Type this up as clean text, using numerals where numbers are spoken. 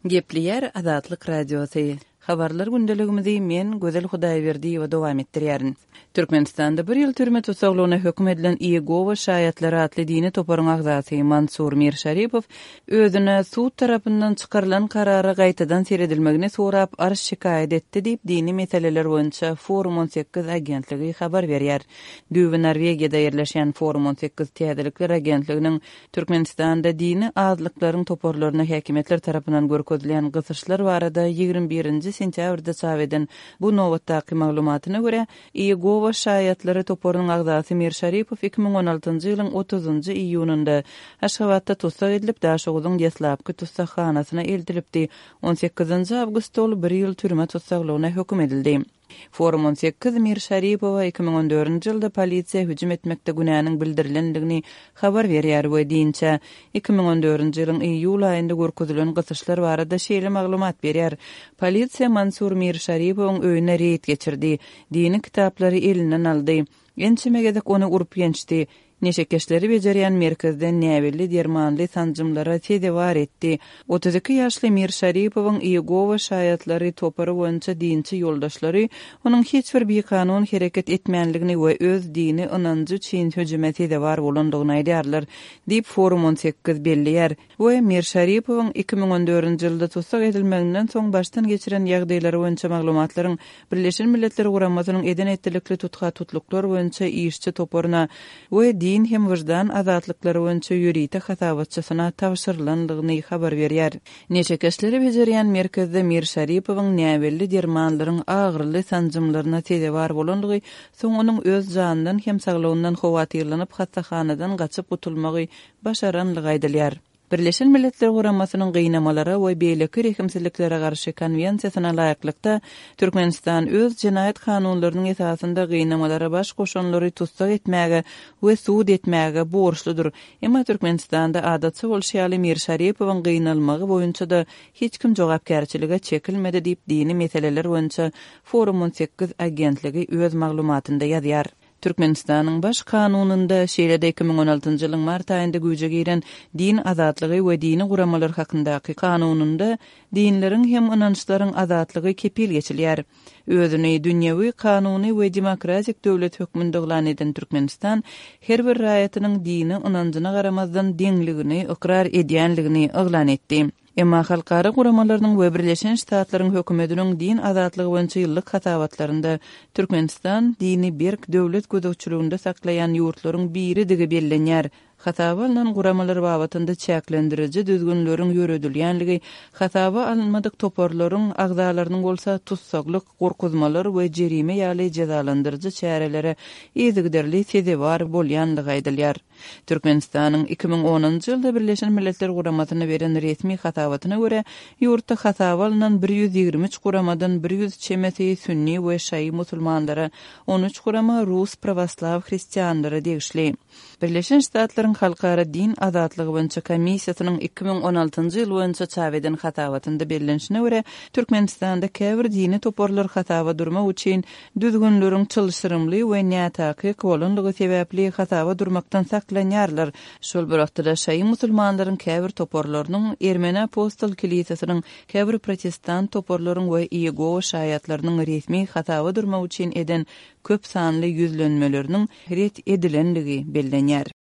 Gepleýär Azatlyk Radiosy. Habarlar gündeligimizi men, Gözel Hudaýberdiýewa dowam etdirýärin. Türkmenistanda bir ýyl türme tussaglygyna höküm edilen Iýegowa şaýatlary atly dini toparyň agzasy Mansur Mirşaripow özüne sud tarapyndan çykarylan karara gaýtadan seredilmegini sorap arz-şikaýat etdi diýip, dini meseleler boýunça Forum 18 agentligi habar berýär. Düýbi Norwegiýada ýerleşýän Forum 18 täzelikler agentliginiň Türkmenistanda dini azlyklaryň toparlaryna häkimiýetler tarapyndan görkezilýän gysyşlar barada 21 nji sentýabrda çap eden bu nobatdaky maglumatyna görä, Iýegowa şaýatlary toparynyň agzasy Mir Şaripow 2016-njy ýylyň otuzynjy iýunynda Aşgabatda tussag edilip, Daşoguzyň deslapky tussaghanasyna eltilipdi. On sekizinji awgustda ol bir ýyl türme tussaglygyna höküm edildi. Forum 18 Mir Şaripowa 2014-nji ýylda polisiýa hüjüm etmekde günäniň bildirilendigini habar berýär we dinçä 2014-nji ýylyň iýul aýynda görkezilen gysyşlar barada şeýle maglumat berýär, Polisiýa Mansur Mir Şaripowyň öýüne reýd geçirdi, dini kitaplary elinden aldy, ençeme gezek ony urup-ýençdi, Neşekeşleri bejerýän merkezde näbelli dermanly sanjymlara sezewar etdi. 32 ýaşly Mir Şaripowyň Iýegowa şaýatlary topary boýunça dinçi ýoldaşlary onuň hiç bir bikanun hereket etmänligini we öz dini ynanjy üçin hüjüme sezewar bolandygyny aýdýarlar, diýip, Forum 18 belleýär. We Mir Şaripowyň 2014-nji ýylda tussag edilmeginden soň başdan geçiren ýagdaýlary boýunça maglumatlaryň Birleşen Milletler Guramasynyň eden-etdilikli tutha-tutluklar boýunça işçi toparyna we din hem wyždan azatlyklary boýunça ýörite hasabatçysyna tabşyrylandygyny habar berýär. Neşekeşleri bejerýän merkezde Mir Şaripowyň näbelli dermanlaryň agyryly sanjymlaryna sezewar bolandygy, soň onuň öz janyndan hem saglygyndan howatyrlanyp hassahanadan gaçyp gutulmagy başaranlygy aýdylýar. Birleşen Milletler Guramasynyň Gynamalara we beýleki rehimsizliklere garşy Konwensiýasyna laýyklykda, Türkmenistan öz jenaýat kanunlarynyň esasynda gynamalara baş goşanlary tussag etmäge we sud etmäge borçludyr. Emma Türkmenistanda adatça bolşy ýaly Mir Şaripowyň gynalmagy boýunça-da hiç kim jogapkärçilige çekilmedi diýip dini meseleler boýunça Forum 18 agentligi öz maglumatynda ýazýar. Türkmenistanyň Baş Kanunynda, şeýle-de 2016-njy ýylyň mart aýynda güýje giren Din azatlygy we dini guramalar hakyndaky Kanunynda dinleriň hem ynançlaryň azatlygy kepil geçilýär. Özüni dünýewi, kanuny we demokratik döwlet hökmünde yglan eden Türkmenistan her bir raýatynyň dini ynanjyna garamazdan deňligini ykrar edýänligini yglan etdi. Emma halkara guramalarynyň we Birleşen Ştatlaryň hökümetiniň din azatlygy boýunça ýyllyk hasabatlarynda Türkmenistan dini berk döwlet gözegçiliginde saklaýan ýurtlaryň biridigi bellenýär. Hasaba alnan guramalar babatynda çäklendiriji düzgünleriň ýöredilýänligi, hasaba alynmadyk toparlaryň agzalarynyň bolsa tussaglyk, gorkuzmalar we jerime ýaly jezalandyryjy çärelere yzygiderli sezewar bolýanlygy aýdylýar. Türkmenistanyň 2010-njy ýylda Birleşen Milletler Guramasyna beren resmi hasabatyna görä, ýurtda hasaba alnan 123 guramadan 100 çemesi sünni we şaýy musulmanlara, 13 gurama rus prawoslaw hristianlara degişli. Birleşen Ştatlaryň Halkara din azatlygy boýunça komissiýasynyň 2016-njy ýyl boýunça çap eden hasabatynda bellenişine görä, Türkmenistanda käbir dini toparlar hasaba durmak üçin düzgünleriň çylşyrymly we nätakyk bolanlygy sebäpli hasaba durmakdan saklanýarlar. Şol bir wagtda-da şaýy musulmanlaryň käbir toparlarynyň, Ermeni apostol kilisesiniň, käbir protestant toparlaryň we Iýegowa şaýatlarynyň resmi hasaba durmak üçin eden köp sanly ýüzlenmeleriniň ret edilenligi bellenýär.